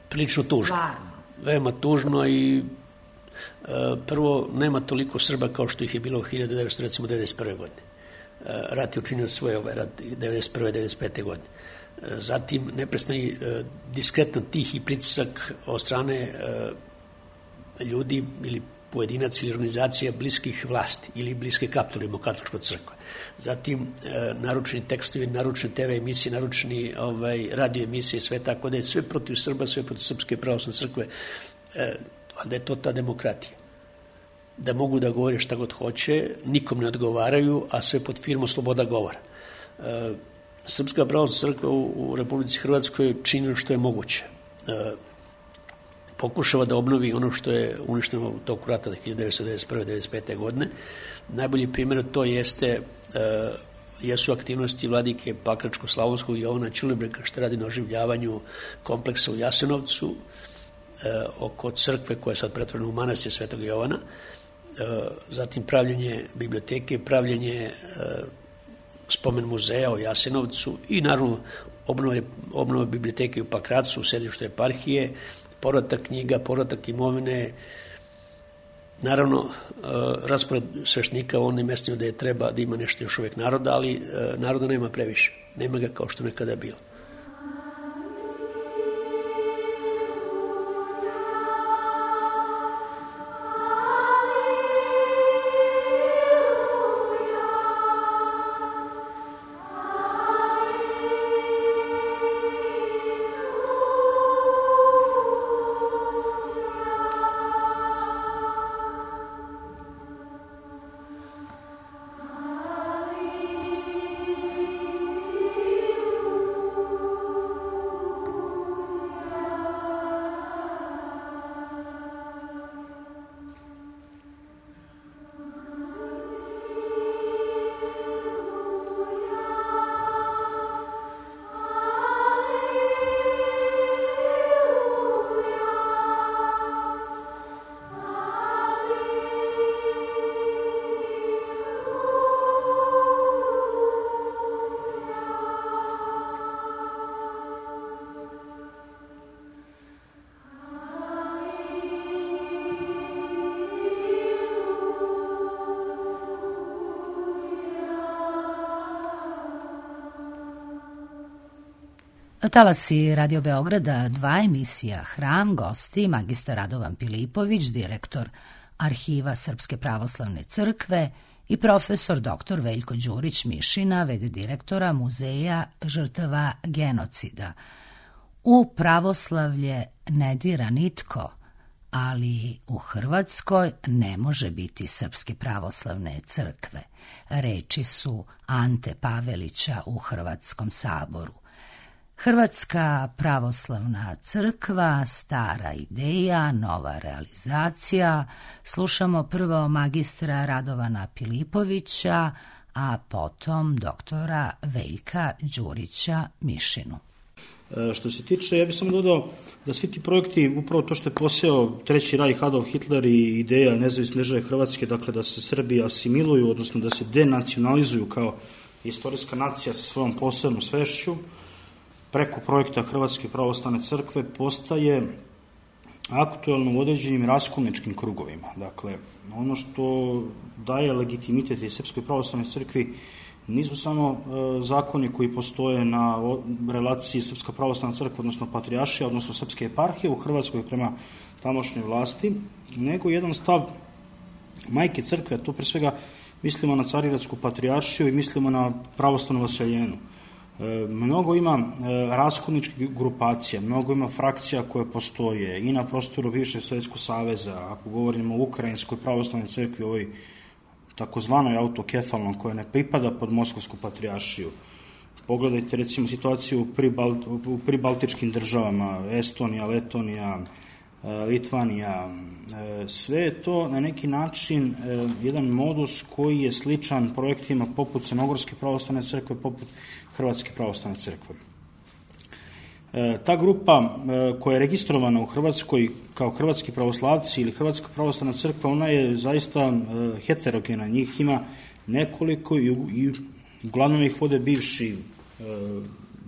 prilično tužno. Stvarno. Veoma tužno i e, prvo, nema toliko Srba kao što ih je bilo u hiljadu devetsto devedeset prve. godine. E, rat je učinio svoje ovaj rat devedeset prve devedeset pete. godine. Zatim neprestani diskretan tih i pritisak od strane ljudi ili pojedinac ili organizacija bliskih vlasti ili bliske Kaptolu katoličkoj crkve. Zatim naručeni tekstovi, naručene te ve emisije, naručeni ovaj, radio emisije, sve tako da je sve protiv Srba, sve protiv Srpske pravoslavne crkve, da je to ta demokratija. Da mogu da govore šta god hoće, nikom ne odgovaraju, a sve pod firmom sloboda govora. Srpska pravoslavna crkva u, u Republici Hrvatskoj čini što je moguće. E, pokušava da obnovi ono što je uništeno u toku rata hiljadu devetsto devedeset prve devedeset pete. godine. Najbolji primjer to jeste e, jesu aktivnosti vladike Pakračko-Slavonskog Jovana Ćulibreka, što radi na oživljavanju kompleksa u Jasenovcu, e, oko crkve koja je sad pretvorena u manastir Svetog Jovana. E, zatim pravljenje biblioteke, pravljenje e, spomen muzeja u Jasenovcu i naravno obnove, obnove biblioteke u Pakracu, u sedištu eparhije, povratak knjiga, povratak imovine, naravno raspored sveštenika u onim mestima da je treba da ima nešto još uvek naroda, ali naroda nema previše, nema ga kao što nekada je bilo. Talasi Radio Beograda dva, emisija Hram, gosti magistar Radovan Pilipović, direktor Arhiva Srpske pravoslavne crkve i profesor doktor Veljko Đurić Mišina, v d direktora Muzeja žrtava genocida. U pravoslavlje ne dira nitko, ali u Hrvatskoj ne može biti Srpske pravoslavne crkve. Reči su Ante Pavelića u Hrvatskom saboru. Hrvatska pravoslavna crkva, stara ideja, nova realizacija. Slušamo prvo magistra Radovana Pilipovića, a potom doktora Veljka Đurića Mišinu. Što se tiče, ja bih samo dodao da svi ti projekti, upravo to što je poseo Treći rajh, Adolf Hitler i ideja nezavisne države Hrvatske, dakle da se Srbi asimiluju, odnosno da se denacionalizuju kao istorijska nacija sa svojom posebnom svešću, preko projekta Hrvatske pravoslavne crkve postaje aktuelno u određenim raskolničkim krugovima. Dakle, ono što daje legitimitet i Srpskoj pravoslavnoj crkvi nisu samo e, zakoni koji postoje na o, relaciji Srpska pravoslavna crkva, odnosno patrijaršija, odnosno Srpske eparhije u Hrvatskoj prema tamošnjoj vlasti, nego jedan stav majke crkve, to pre svega mislimo na Carigradsku patrijaršiju i mislimo na pravoslavnu vaseljenu. E, mnogo ima e, raskolničkih grupacija, mnogo ima frakcija koje postoje i na prostoru bivšeg Sovjetskog saveza, ako govorimo o Ukrajinskoj pravoslavnoj crkvi, ovoj takozvanoj autokefalnom, koja ne pripada pod Moskovsku patrijaršiju. Pogledajte recimo situaciju u, pribal, u pribaltičkim državama, Estonija, Letonija, Litvanija, sve je to na neki način jedan modus koji je sličan projektima poput Crnogorske pravoslavne crkve, poput Hrvatske pravoslavne crkve. Ta grupa koja je registrovana u Hrvatskoj kao hrvatski pravoslavci ili Hrvatska pravoslavna crkva, ona je zaista heterogena. Njih ima nekoliko i, i uglavnom ih vode bivši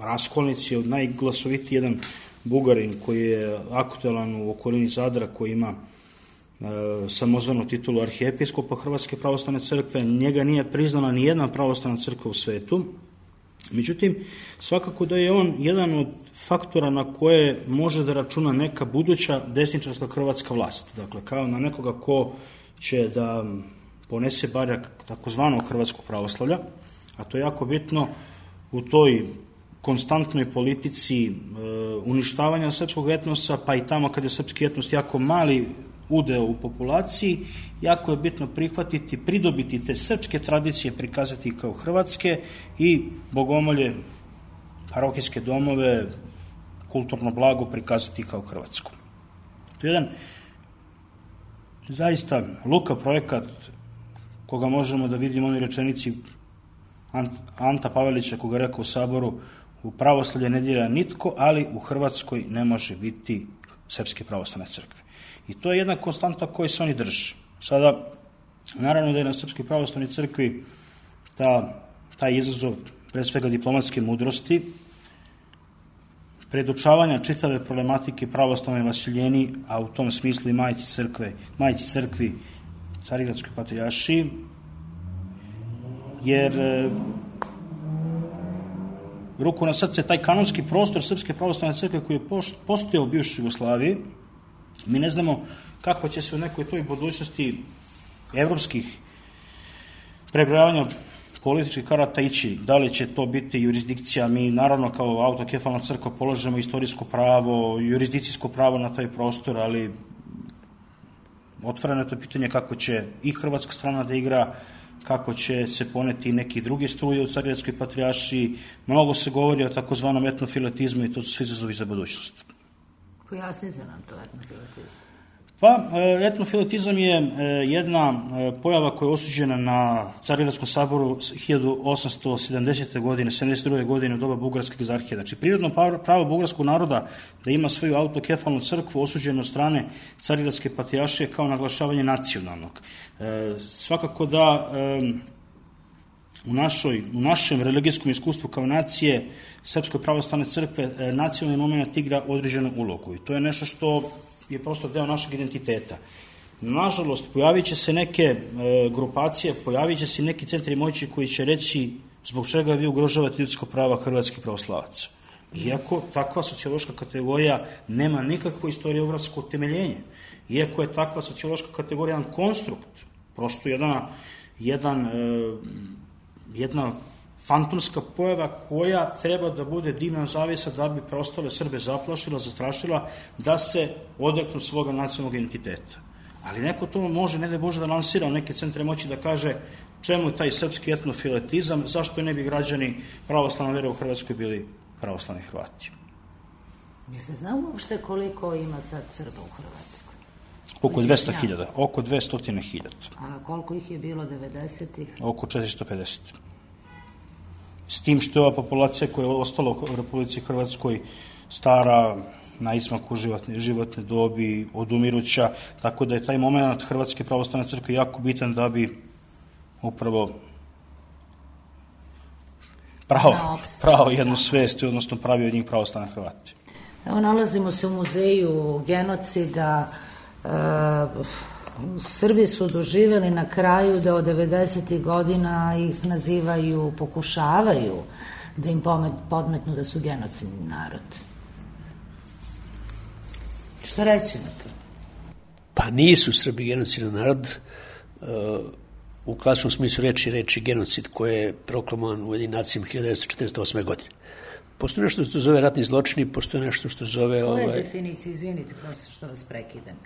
raskolnici, od najglasovitiji jedan Bugarin koji je aktualan u okolini Zadra, koji ima e, samozvanu titulu arhijepiskopa Hrvatske pravoslavne crkve. Njega nije priznala ni jedna pravoslavna crkva u svetu. Međutim, svakako da je on jedan od faktora na koje može da računa neka buduća desničarska hrvatska vlast. Dakle, kao na nekoga ko će da ponese barjak takozvanog hrvatskog pravoslavlja, a to je jako bitno u toj konstantnoj politici e, uništavanja srpskog etnosa, pa i tamo kad je srpski etnos jako mali udeo u populaciji, jako je bitno prihvatiti, pridobiti te srpske tradicije, prikazati kao hrvatske i bogomolje, parohijske domove, kulturno blago prikazati kao hrvatsku. To je jedan zaista luka projekat koga možemo da vidimo u onoj rečenici Anta Pavelića, koga rekao u Saboru: u pravoslavlje ne dira nitko, ali u Hrvatskoj ne može biti Srpske pravoslavne crkve. I to je jedna konstanta koju se oni drže. Sada, naravno da je na Srpskoj pravoslavnoj crkvi ta, taj izazov, pre svega diplomatske mudrosti, predučavanja čitave problematike pravoslavne vaseljeni, a u tom smislu i majci crkve, majci crkvi Carigradskoj patrijaršiji, jer e, ruku na srce, taj kanonski prostor Srpske pravoslavne crkve koji je postojao u bivšoj Jugoslaviji, mi ne znamo kako će se u nekoj toj budućnosti evropskih prebrojavanja političkih karata ići. Da li će to biti jurisdikcija? Mi naravno kao autokefalna crkva polažemo istorijsko pravo, jurisdikcijsko pravo na taj prostor, ali otvoreno je to pitanje kako će i hrvatska strana da igra, kako će se poneti neki drugi struje u Carigradskoj patrijaršiji. Mnogo se govori o takozvanom etnofiletizmu i to su svi izazovi za budućnost. Pojasnite nam to etnofiletizam. Pa, etnofiletizam je jedna pojava koja je osuđena na Carigradskom saboru hiljadu osamsto sedamdesete godine, sedamdeset druge godine u doba Bugarske egzarhije. Znači, prirodno pravo bugarskog naroda da ima svoju autokefalnu crkvu osuđeno od strane Carigradske patrijaršije kao naglašavanje nacionalnog. Svakako da u, našoj, u našem religijskom iskustvu kao nacije Srpske pravoslavne crkve nacionalni moment igra određenu ulogu i to je nešto što je prosto deo našeg identiteta. Nažalost, pojavit će se neke e, grupacije, pojavit će se neki centri moći koji će reći zbog čega vi ugrožavate ljudsko prava hrvatskih pravoslavaca. Iako takva sociološka kategorija nema nikakvo istoriografsko utemeljenje. Iako je takva sociološka kategorija jedan konstrukt, prosto jedna, jedan, jedna fantomska pojava koja treba da bude dimna zavisa da bi preostale Srbe zaplašila, zastrašila, da se odreknu svoga nacionalnog identiteta. Ali neko to može, ne da Bože, da lansira u neke centre moći da kaže čemu taj srpski etnofiletizam, zašto ne bi građani pravoslavne vere u Hrvatskoj bili pravoslavni Hrvati. Jer se zna uopšte koliko ima sad Srba u Hrvatskoj? Oko dvesta hiljada, oko dvesta hiljada. A koliko ih je bilo devedesetih? Oko četiristo pedeset. S tim što je ova populacija koja je ostala u Republici Hrvatskoj stara, na izmaku životne, životne dobi, odumiruća, tako da je taj moment Hrvatske pravoslavne crkve jako bitan da bi upravo pravo, pravo jednu svest, odnosno pravi od njih pravoslavne Hrvati. Evo, nalazimo se u muzeju genocida. E, Srbi su doživjeli na kraju da od devedesetih godina ih nazivaju, pokušavaju da im podmetnu da su genocidni narod. Šta reći na to? Pa nisu Srbi genocidni narod. U klasičnom smislu reči reči genocid koji je proklamovan u Ujedinjenim nacijama hiljadu devetsto četrdeset osme. godine. Postoji nešto što se zove ratni zločini, postoji nešto što se zove... Koja je ovaj... definicija, izvinite, prosto što vas prekidam,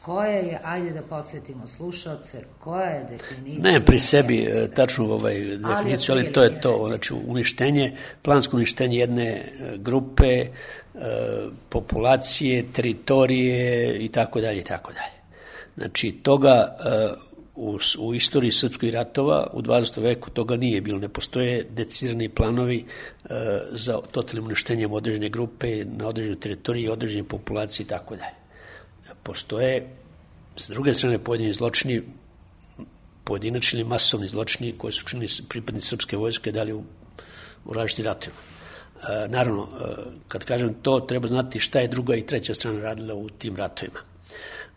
koja je, ajde da podsjetimo slušalce, koja je definicija... Ne pri sebi tačnu ovaj definiciju, ali to je to, znači uništenje, plansko uništenje jedne grupe, populacije, teritorije i tako dalje i tako dalje. Znači toga u, u istoriji srpskih ratova u dvadesetom veku toga nije bilo, ne postoje decidirani planovi za totalnim uništenjem određene grupe na određenoj teritoriji, određene populacije i tako dalje. Postoje, s druge strane, pojedini zločini, pojedinačni ili masovni zločini koji su činili pripadnici srpske vojske dali u, u različitim ratovima. E, naravno, e, kad kažem to, treba znati šta je druga i treća strana radila u tim ratovima.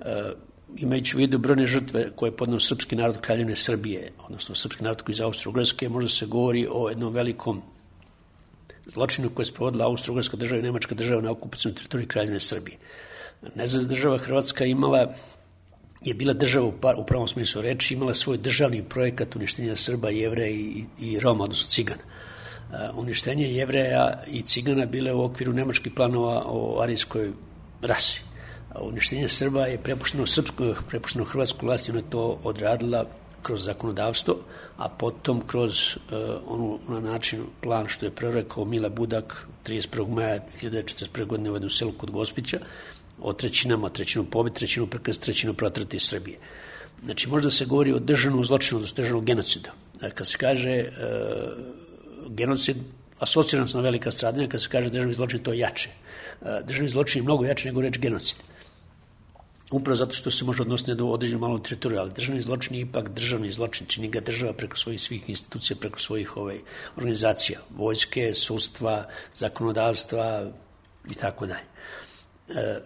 E, imajući u vidu brojne žrtve koje je podneo srpski narod Kraljevine Srbije, odnosno srpski narod koji iz Austro-Ugarske, možda se govori o jednom velikom zločinu koje je sprovodila Austro-Ugarska država i Nemačka država na okupacijnoj teritoriji Kraljevine Srbije. Nezavisna država Hrvatska imala, je bila država u pravom smislu reči, imala svoj državni projekat uništenja Srba, Jevreja i, i Roma, odnosno Cigana. Uh, uništenje Jevreja i Cigana bile u okviru nemačkih planova o arijskoj rasi. Uh, uništenje Srba je prepušteno srpsko, prepušteno hrvatsku vlast i ona je to odradila kroz zakonodavstvo, a potom kroz uh, onu na način plan što je prerekao Mile Budak trideset prvog maja hiljadu devetsto četrdeset prve. godine u jednom selu kod Gospića, o trećinama, trećinu pobit, trećinu prekrst, trećinu protrati iz Srbije. Znači, možda se govori o državnom zločinu, odnosno državnom genocidu. Kad se kaže e, genocid, asociran na velika stradanja, kad se kaže državni zločin, to je jače. E, državni zločin je mnogo jače nego reč genocid. Upravo zato što se može odnositi do određenu malom teritoriju, ali državni zločin je ipak državni zločin, čini ga država preko svojih svih institucija, preko svojih ovaj, organizacija, vojske, sudstva, zakonodavstva i tako dalje. E,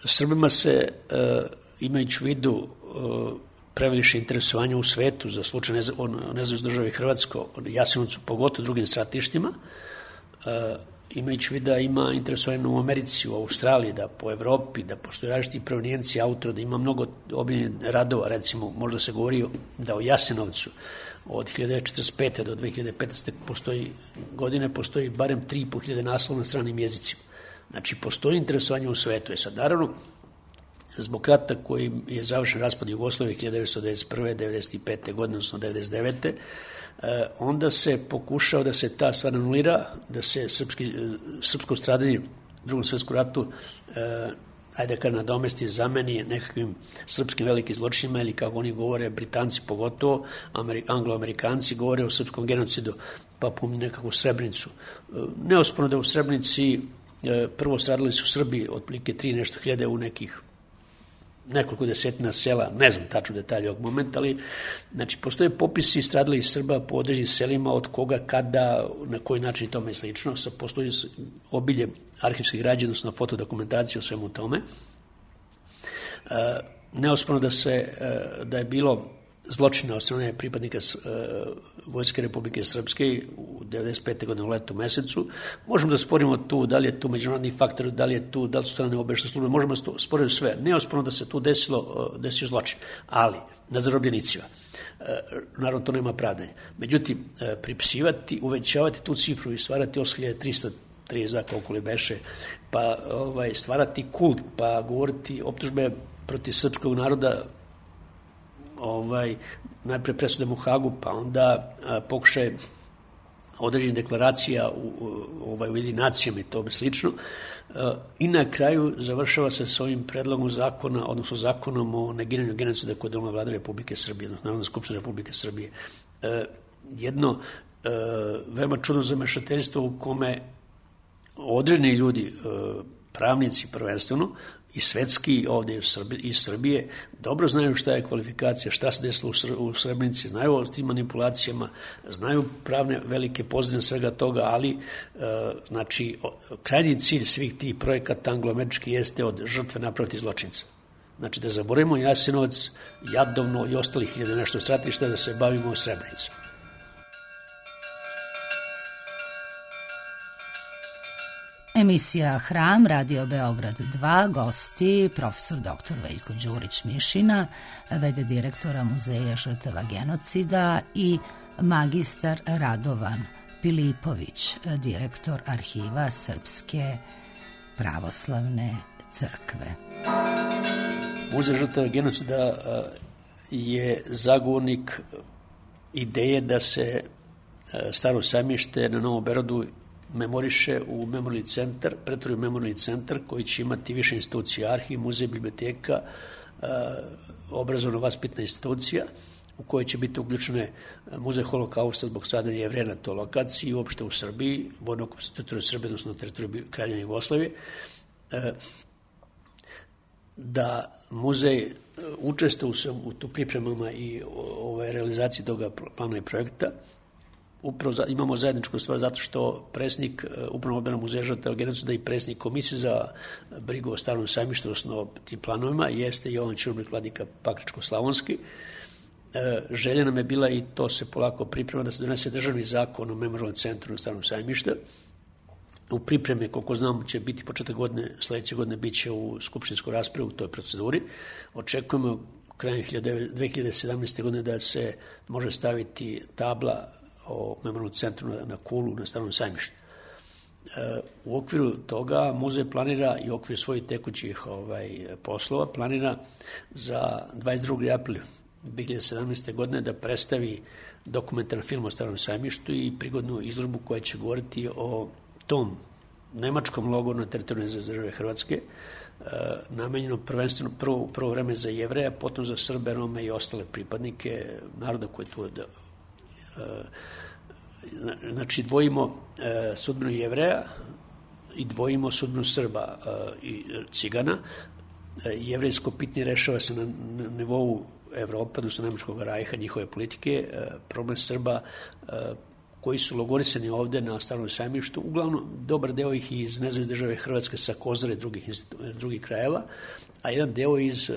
Srbima se, e, imajući u vidu e, previše interesovanja u svetu za slučaj nezavisne države Hrvatsko, Jasenovcu, pogotovo drugim stratištima, e, imajući u vidu da ima interesovanje u Americi, u Australiji, da po Evropi, da postoje različiti provenijenci autora, da ima mnogo obiljenih radova, recimo možda se govori da u Jasenovcu od hiljadu devetsto četrdeset pete. do dve hiljade petnaeste. postoji godine, postoji barem tri i po hiljade naslova na stranim jezicima. Znači, postoji interesovanje u svetu. Je sad, naravno, zbog rata koji je završen raspad Jugoslavije hiljadu devetsto devedeset prve. devedeset pete. godine, odnosno devedeset devete. onda se pokušao da se ta stvar anulira, da se srpski, srpsko stradanje u drugom svjetskom ratu ajde kad nadomesti zameni nekakvim srpskim velikim zločinima ili kako oni govore, Britanci pogotovo, Anglo-Amerikanci govore o srpskom genocidu, pa pominju nekakvu Srebrenicu. Neosporno da u Srebrenici prvo stradali su Srbi otprilike tri nešto hiljade u nekih nekoliko desetina sela, ne znam tačno detalje ovog momenta, ali znači, postoje popisi stradalih Srba po određenim selima, od koga, kada, na koji način i tome i slično. Sad postoji obilje arhivskih građe, odnosno fotodokumentacije o svemu tome. E, neosporno da, se, da je bilo zločina od strane pripadnika Vojske Republike Srpske u devedeset pete godine u letu mesecu. Možemo da sporimo tu da li je tu međunarodni faktor, da li je tu, da li su strane obaveštajne službe, možemo da sporimo sve. Neosporno da se tu desilo, desio zločin, ali na zarobljenicima. Naravno, to nema pravdanja. Međutim, pripisivati, uvećavati tu cifru i stvarati osam hiljada trista trideset koliko li beše, pa ovaj, stvarati kult, pa govoriti optužbe protiv srpskog naroda, ovaj, najpre presudem u Hagu, pa onda a, pokušaj određenih deklaracija u, u, ovaj, u jedinacijama i tome slično. A, I na kraju završava se s ovim predlogom zakona, odnosno zakonom o negiranju genocida koje je donela Vlada Republike Srbije, odnosno Narodna skupština Republike Srbije. A, jedno a, veoma čudno zamešateljstvo u kome određeni ljudi, pravnici prvenstveno, i svetski ovde iz Srbije, dobro znaju šta je kvalifikacija, šta se desilo u Srebrenici, znaju o tim manipulacijama, znaju pravne velike pozadine svega toga, ali znači, krajnji cilj svih tih projekata anglo-američki jeste od žrtve napraviti zločinca. Znači da zaboravimo Jasenovac, Jadovno i ostalih hiljada nešto stratišta, da se bavimo Srebrenicom. Emisija Hram, Radio Beograd dva, gosti profesor doktor Veljko Đurić-Mišina, v d direktora Muzeja žrtava genocida i magistar Radovan Pilipović, direktor Arhiva Srpske pravoslavne crkve. Muzej žrtava genocida je zagovornik ideje da se Staro sajmište na Novom Beogradu memoriše u memorijalni centar, pretvori u memorijalni centar koji će imati više institucija, arhiv, muzej, biblioteka, obrazovno-vaspitna institucija u kojoj će biti uključene muzej holokausta zbog stradanja Jevreja na toj lokaciji i uopšte u Srbiji, vojno teritoriju Srbije, odnosno na teritoriju Kraljevine Jugoslavije, da muzej učestvuje u tu pripremama i ove realizaciji toga plana i projekta. Upravo imamo zajedničku stvar zato što predsjednik Upravnog odbora Muzeja žrtava genocida i predsjednik Komisije za brigu o Starom sajmištu, odnosno tim planovima, jeste Jovan Ćurubrik, vladika Pakračko-slavonski. Želja nam je bila, i to se polako priprema, da se donese državni zakon o memorijalnom centru na Starom sajmištu. U pripreme, koliko znam, će biti početak godine, sledeće godine bit će u skupštinskoj raspravi u toj proceduri. Očekujemo krajem dve hiljade sedamnaeste. godine da se može staviti tabla o memorijalnom centru na, na Kulu, na Starom sajmištu. E, u okviru toga muzej planira i u okviru svojih tekućih ovaj, poslova planira za dvadeset drugi april dve hiljade sedamnaeste. godine da predstavi dokumentarni film o Starom sajmištu i prigodnu izložbu koja će govoriti o tom nemačkom logoru na teritoriju države Hrvatske, e, namenjeno prvenstveno prvo, prvo vreme za Jevreja, potom za Srbe, Rome i ostale pripadnike naroda koji tu da, znači dvojimo sudbinu Jevreja i dvojimo sudbinu Srba i Cigana. Jevrejsko pitanje rešava se na nivou Evropa, odnosno Nemačkog rajha, njihove politike. Problem Srba koji su logorisani ovde na Starom sajmištu, uglavnom dobar deo ih iz nezavisne države Hrvatske sa Kozare i drugih, drugih krajeva, a jedan deo iz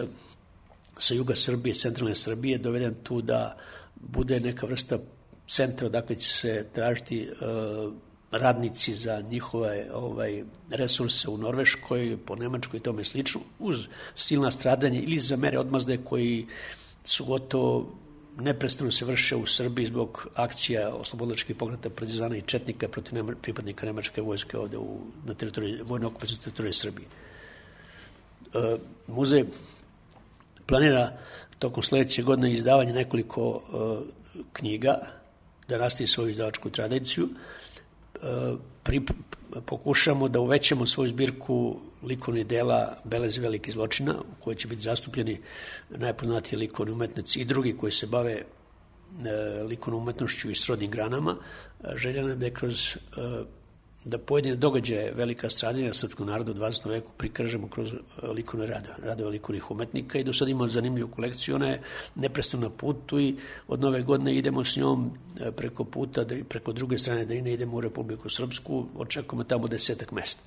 sa juga Srbije, centralne Srbije, doveden tu da bude neka vrsta centra odakle će se tražiti uh, radnici za njihove ovaj, resurse u Norveškoj, po Nemačkoj i tome slično, uz silna stradanja ili za mere odmazde koji su gotovo neprestano se vrše u Srbiji zbog akcija oslobodilačkih pokreta partizana i četnika protiv nema, pripadnika nemačke vojske ovde u, na teritoriji, vojne okupacije teritorije Srbije. Uh, muzej planira tokom sledeće godine izdavanje nekoliko uh, knjiga, da nastavi svoju izdavačku tradiciju. Pri, pokušamo da uvećamo svoju zbirku likovnih dela Belezi velikih zločina, u kojoj će biti zastupljeni najpoznatiji likovni umetnici i drugi koji se bave e, likovnom umetnošću i srodnim granama. Želja nam je kroz e, da pojedine događaje velika stradanja srpskog naroda u dvadesetom veku prikažemo kroz likovne rade, radove likovnih umetnika i do sada imamo zanimljivu kolekciju. Ona je neprestano na putu i od nove godine idemo s njom preko puta, preko druge strane Drine, idemo u Republiku Srpsku, očekujemo tamo desetak mesta.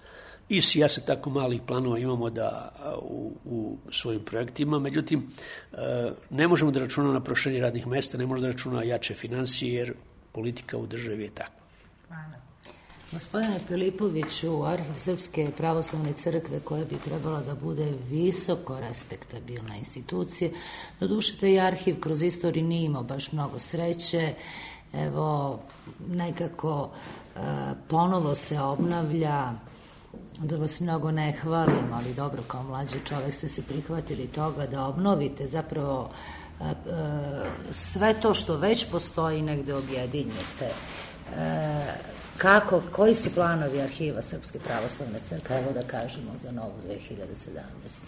I ja se tako malih planova imamo da u, u svojim projektima, međutim ne možemo da računamo na proširenje radnih mesta, ne možemo da računamo na jače finansije jer politika u državi je takva. Hvala. Gospodine Pilipoviću, Arhiv Srpske pravoslavne crkve, koja bi trebala da bude visoko respektabilna institucija, doduše taj arhiv kroz istoriju nije imao baš mnogo sreće. Evo, nekako e, ponovo se obnavlja, da vas mnogo ne hvalim, ali dobro, kao mlađi čovek ste se prihvatili toga da obnovite zapravo e, e, sve to što već postoji negde objedinjete. E, kako, koji su planovi Arhiva Srpske pravoslavne crkve, evo da kažemo za novu dve hiljade sedamnaestu.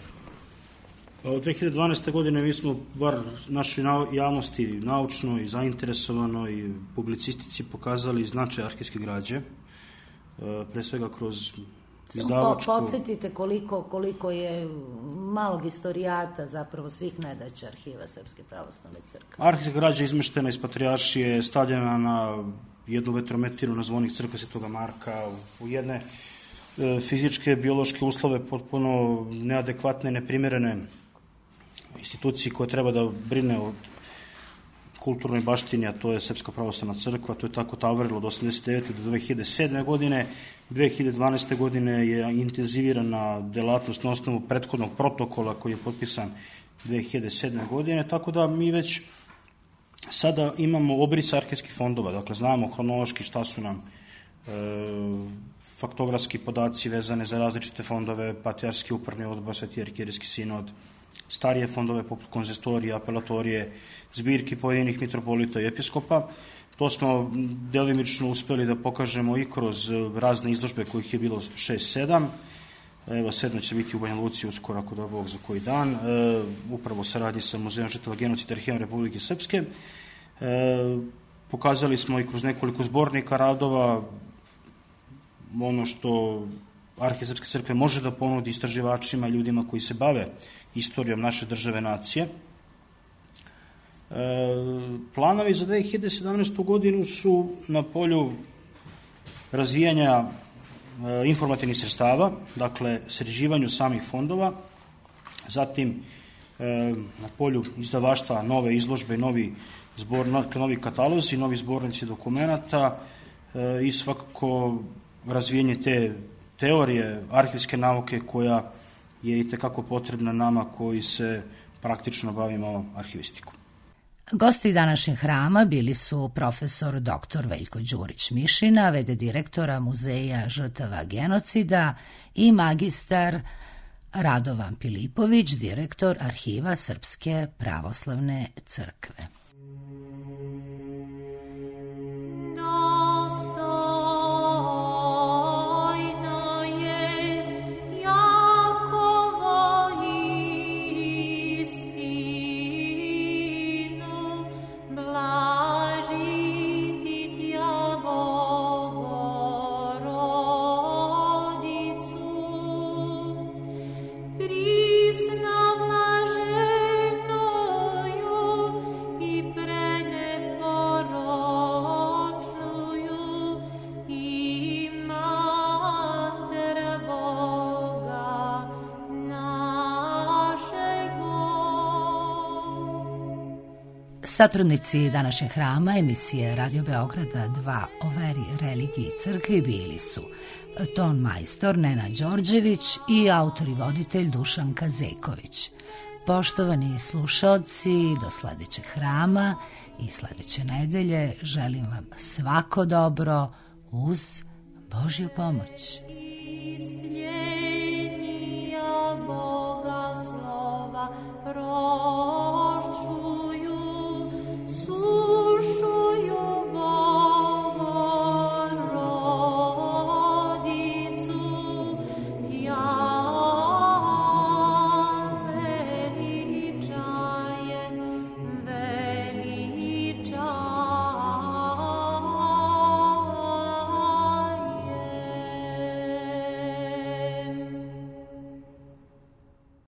Od dve hiljade dvanaeste. godine mi smo, bar našoj javnosti, naučno i zainteresovano i publicistici pokazali značaj arhivske građe, pre svega kroz izdavačku... Samo podsjetite koliko, koliko je malog istorijata zapravo svih nedaća Arhiva Srpske pravoslavne crkve. Arhivska građa izmeštena iz Patrijaršije, stavljena na jednu vetrometinu na zvonik crkve Svetoga Marka, u jedne e, fizičke, biološke uslove potpuno neadekvatne, neprimerene instituciji koja treba da brine o kulturnoj baštini, a to je Srpska pravoslavna crkva. To je tako tavorilo od osamdeset devete do dve hiljade sedme. godine. dve hiljade dvanaeste. godine je intenzivirana delatnost na osnovu prethodnog protokola koji je potpisan dve hiljade sedme. godine, tako da mi već sada imamo obris arhivskih fondova, dakle znamo hronološki šta su nam e, faktografski podaci vezane za različite fondove, Patrijarski upravni odbor, Sveti arhijerijski sinod, starije fondove poput konzistorije, apelatorije, zbirki pojedinih mitropolita i episkopa. To smo delimično uspeli da pokažemo i kroz razne izložbe kojih je bilo šest sedam. Evo, sedma će biti u Banja Luci uskoro, ako da Bog, za koji dan. E, upravo saradnji sa Muzejom žrtava genocida Arhivom Republike Srpske. E, pokazali smo i kroz nekoliko zbornika radova ono što Arhiv Srpske crkve može da ponudi istraživačima, ljudima koji se bave istorijom naše države nacije. E, planovi za dve hiljade sedamnaestu. godinu su na polju razvijanja e, informativnih sredstava, dakle sređivanju samih fondova, zatim e, na polju izdavaštva nove izložbe, novi, zbor, novi katalozi, novi zbornici dokumenata e, i svakako razvijenje te teorije arhivske nauke koja je i tekako potrebna nama koji se praktično bavimo arhivistikom. Gosti današnjeg hrama bili su profesor doktor Veljko Đurić-Mišina, v d direktora Muzeja žrtava genocida, i magistar Radovan Pilipović, direktor Arhiva Srpske pravoslavne crkve. Satrudnici današnjeg hrama emisije Radio Beograda dva o veri, religiji i crkvi bili su ton majstor Nenad Đorđević i autor i voditelj Dušan Kazejković. Poštovani slušaoci, do sledećeg hrama i sledeće nedelje želim vam svako dobro uz Božju pomoć.